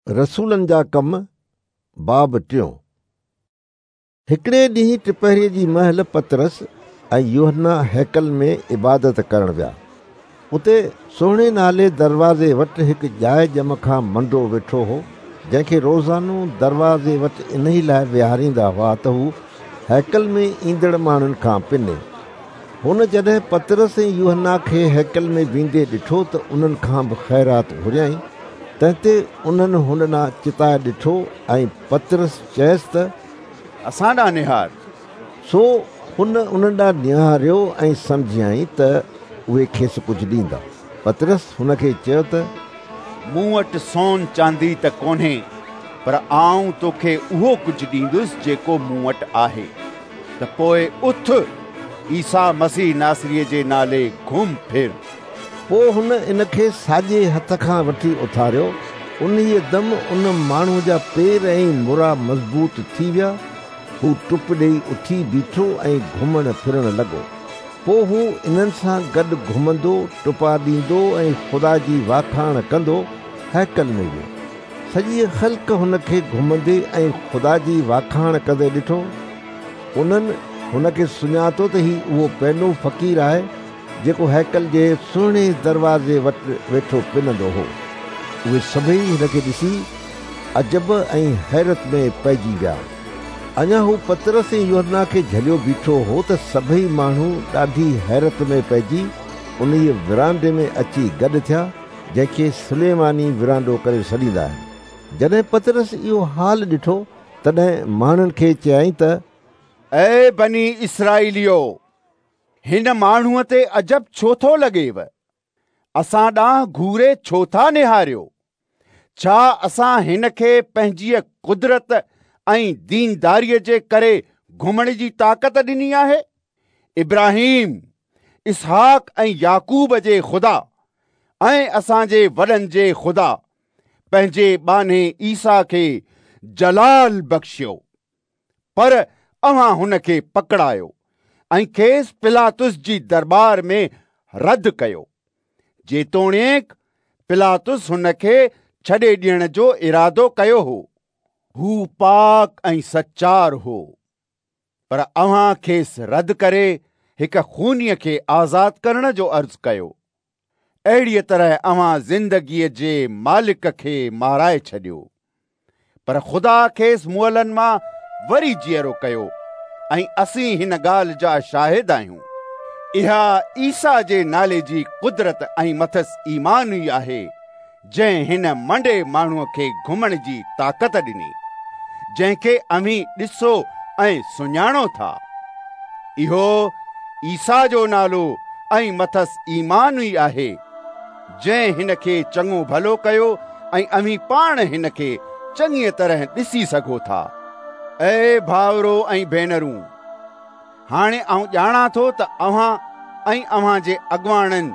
رسولن جا ڪم، باب ٽيون. هڪڙي ڏينهن ٽپهريء جي مهل پطرس ۽ يوحنا هيڪل ۾ عبادت ڪرڻ ويا. اتي سهڻي نالي دروازي وٽ هڪ ڄائي ڄم کان منڊو ويٺو هو، جنهن کي روزانو دروازي وٽ انهي لاء ويهاريندا هئا ته هو هيڪل ۾ ايندڙ ماڻهن کان پني. هن جڏهن پطرس ۽ يوحنا کي هيڪل ۾ ويندي ڏٺو ته انهن کان به خيرات گهريائين. تنهن تي انهن هن ڏانهن چتائي ڏٺو ۽ پطرس چيس ته، اسان ڏانهن نهار. سو هن انهن ڏانهن نهاريو ۽ سمجهيائين ته اهي کيس ڪجهه ڏيندا. پطرس هن کي چيو ته، مون وٽ سون چاندي ته ڪونهي، پر آئون توکي اهو ڪجهه ڏيندس جيڪو مون وٽ آهي، ته پوء اٿ، عيسيٰ مسيح ناصريء جي نالي گهم ڦر. پوء هن ان کي ساڄي هٿ کان وٺي اٿاريو. انهيء دم ان ماڻهوء جا پير ۽ مرا مضبوط ٿي ويا. هو ٽپ ڏيئي اٿي بيٺو ۽ گهمڻ ڦرڻ لڳو. پوء هو انهن سان گڏ گهمندو، ٽپا ڏيندو ۽ خدا جي واکاڻ ڪندو هيڪل ۾ ويو. سڄيء خلق هن کي گهمندي ۽ خدا جي واکاڻ ڪندي ڏٺو. انهن هن کي سڃاتو ته هي اهو پينو فقير آهي، جيڪو هيڪل جي سهڻي دروازي وٽ ويٺو پنندو هو. اهي سڀيئي هن کي ڏسي عجب ۽ حيرت ۾ پئجي ويا. اڃا هو پطرس ۽ يوحنا کي جهليو بيٺو هو ته سڀيئي ماڻهو ڏاڍي حيرت ۾ پئجي انهيء ورانڊي ۾ اچي گڏ ٿيا، جنهن کي سليماني ورانڊو ڪري سڏيندا آهن. جڏهن پطرس اهو حال ڏٺو، تڏهن ماڻهن کي چيائين ته. اي بني اسرائيليو! هن ماڻهوء تي عجب ڇو ٿو لڳيو؟ اسان ڏانهن گهوري ڇو ٿا نهاريو؟ ڇا اسان هن کي پنهنجيء قدرت ۽ دينداريء جي ڪري گهمڻ جي طاقت ڏني آهي؟ ابراهيم، اسحاق ۽ يعقوب جي خدا ۽ اسان جي وڏن جي خدا پنهنجي ٻانهي عيسيٰ کي جلال بخشيو. پر اوهان هن کي پڪڙايو ۽ کيس پلاطس جي درٻار ۾ رد ڪيو. جيتوڻيڪ پلاطس هن کي ڇڏي ڏيڻ جو ارادو ڪيو هو. هو پاڪ ۽ سچار هو، پر اوهان کيس رد ڪري هڪ خونيء کي آزاد ڪرڻ جو عرض ڪيو. اهڙيء طرح اوهان زندگيء جي مالڪ کي مارائي ڇڏيو. پر خدا کيس مئلن مان وري جيئرو ڪيو ۽ اسين هن ڳالهه جا شاهد آهيون. اها عيسيٰ جي نالي جي قدرت ۽ مٿس ايمان ئي آهي، جنهن هن منڊي ماڻهوء کي گهمڻ جي طاقت ڏني، جنهن کي اوهين ڏسو ۽ سڃاڻو ٿا. اهو عيسيٰ جو نالو ۽ مٿس ايمان ئي آهي، جنهن هن کي چڱو ڀلو ڪيو ۽ اوهين پاڻ هن کي چڱيء طرح ڏسي سگهو ٿا. اي ڀائرو ۽ ڀينرون! هاڻي آئون ڄاڻان ٿو ته اوهان ۽ اوهان جي اڳواڻن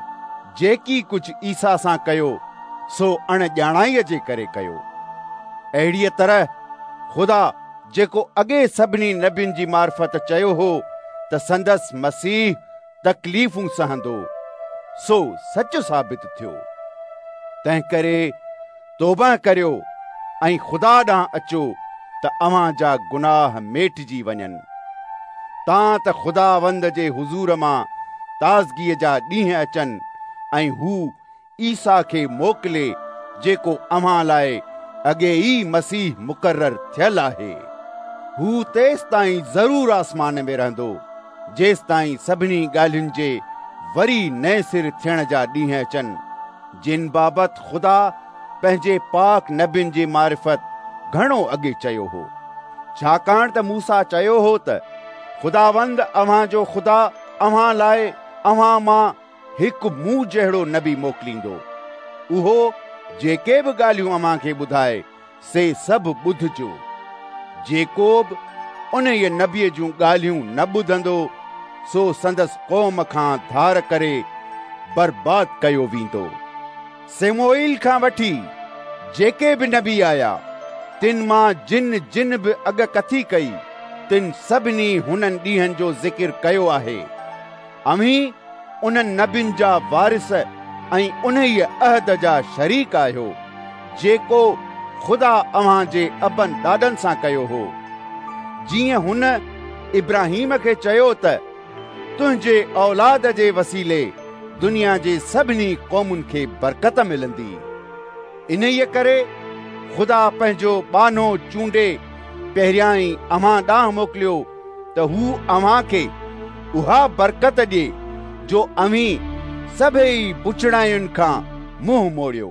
جيڪي ڪجهه عيسيٰ سان ڪيو، سو اڻ ڄاڻائيء جي ڪري ڪيو. اهڙيء طرح خدا جيڪو اڳي سڀني نبين جي معرفت چيو هو ته سندس مسيح تڪليفون سهندو، سو سچ ثابت ٿيو. تنهنڪري توبهه ڪريو ۽ خدا ڏانهن اچو ته اوهان جا گناهه ميٽجي وڃن، تان ته خداوند جي حضور مان تازگيء جا ڏينهن اچن ۽ هو عيسيٰ کي موڪلي جيڪو اوهان لاء اڳي ئي مسيح مقرر ٿيل آهي. هو تيستائين ضرور آسمان ۾ رهندو، جيستائين سڀني ڳالهين جي وري نئين سر ٿيڻ جا ڏينهن اچن، جن بابت خدا پنهنجي پاڪ نبين جي معرفت گهڻو اڳي چيو هو. ڇاڪاڻ ته موسيٰ چيو هو ته خداوند اوهان جو خدا اوهان لاء اوهان مان هڪ مون جهڙو نبي موڪليندو. اهو جيڪي به ڳالهيون اوهان کي ٻڌائي، سي سڀ ٻڌجو. جيڪو به انهيء نبيء جون ڳالهيون نه ٻڌندو، سو سندس قوم کان ڌار ڪري برباد ڪيو ويندو. سيموئيل کان وٺي جيڪي به نبي آيا، تن مان جن جن به اڳڪٿي ڪئي، تن سڀني هنن ڏينهن جو ذڪر ڪيو آهي. اوهين انهن نبين جا وارث ۽ انهيء عهد جا شريڪ آهيو، جيڪو خدا اوهان جي ابن ڏاڏن سان ڪيو هو. جيئن هن ابراهيم کي چيو ته تنهنجي اولاد جي وسيلي دنيا جي سڀني قومن کي برڪت ملندي. انهيء ڪري خدا پنهنجو ٻانهو چونڊي پهريائين اوهان ڏانهن موڪليو ته هو اوهان کي اها برڪت ڏئي جو اوهين سڀيئي بڇڙاين کان منهن موڙيو.